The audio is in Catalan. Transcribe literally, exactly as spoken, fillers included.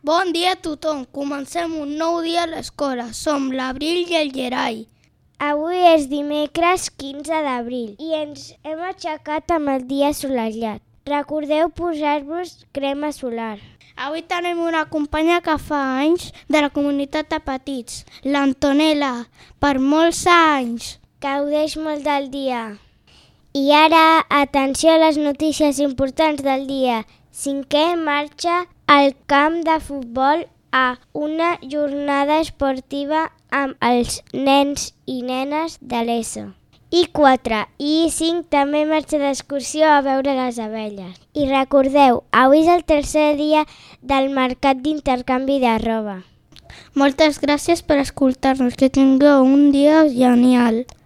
Bon dia a tothom. Comencem un nou dia a l'escola. Som l'Abril i el Gerai. Avui és dimecres quinze d'abril i ens hem aixecat amb el dia assolellat. Recordeu posar-vos crema solar. Avui tenim una companya que fa anys de la comunitat de petits, l'Antonella, per molts anys. Gaudeix molt del dia. I ara, atenció a les notícies importants del dia. Cinquè marxa al camp de futbol a una jornada esportiva amb els nens i nenes de l'ESO. I quatre i cinc també marxa d'excursió a veure les abelles. I recordeu, avui és el tercer dia del mercat d'intercanvi de roba. Moltes gràcies per escoltar-nos. Que tingueu un dia genial.